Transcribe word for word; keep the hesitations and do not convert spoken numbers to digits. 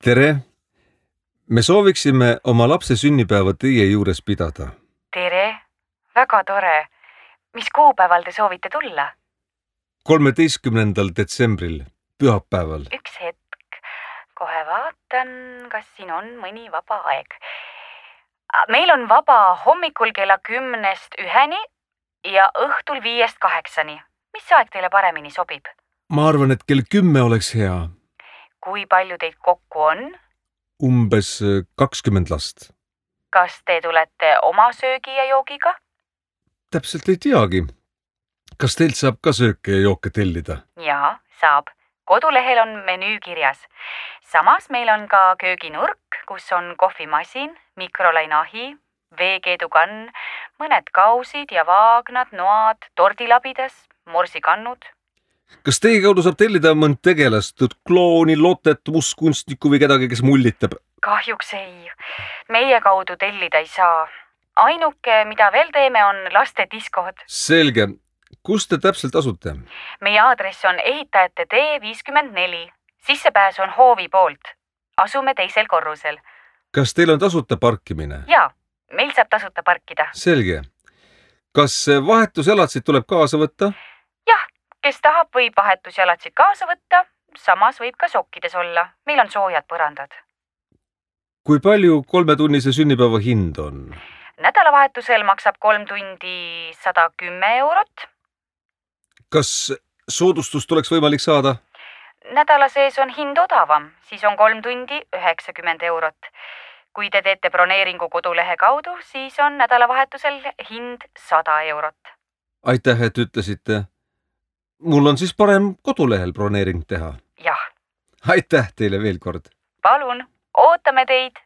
Tere! Me sooviksime oma lapse sünnipäeva teie juures pidada. Tere! Väga tore. Mis kuupäeval te soovite tulla? kolmeteistkümnendal detsembril, pühapäeval. Üks hetk. Kohe vaatan, kas siin on mõni vaba aeg. Meil on vaba hommikul kella kümnest üheni ja õhtul viiest kaheksani. Mis aeg teile paremini sobib? Ma arvan, et kell kümme oleks hea. Kui palju teid kokku on? Umbes kakskümmend last. Kas te tulete oma söögi ja joogiga? Täpselt ei teagi. Kas teilt saab ka sööke ja jooke tellida? Jaa, saab. Kodulehel on menüü kirjas. Samas meil on ka kööginurk, kus on kohvimasin, mikrolainahi, veekeedukann, mõned kausid ja vaagnad, noad, tordilabides, morsikannud. Kas teie kaudu saab tellida mõnd tegelast, klooni, lotet, mustkunstnikku või kedagi, kes mullitab? Kahjuks ei. Meie kaudu tellida ei saa. Ainuke, mida veel teeme, on laste diskod. Selge. Kus te täpselt asute? Meie aadress on ehitajate tee viiskümmend neli. Sissepääs on hoovi poolt. Asume teisel korrusel. Kas teil on tasuta parkimine? Jaa, meil saab tasuta parkida. Selge. Kas vahetuselatsid tuleb kaasa võtta? Jah, kes tahab, võib vahetusjalatsid kaasa võtta. Samas võib ka sokkides olla. Meil on soojad põrandad. Kui palju kolmetunnise sünnipäeva hind on? Nädalavahetusel maksab kolm tundi sada kümme eurot. Kas soodustust oleks võimalik saada? Nädala sees on hind odavam, siis on kolm tundi üheksakümmend eurot. Kui te teete broneeringu kodulehe kaudu, siis on nädalavahetusel hind sada eurot. Aitäh, et ütlesite. Mul on siis parem kodulehel broneering teha. Jah. Aitäh teile veel kord. Palun, ootame teid!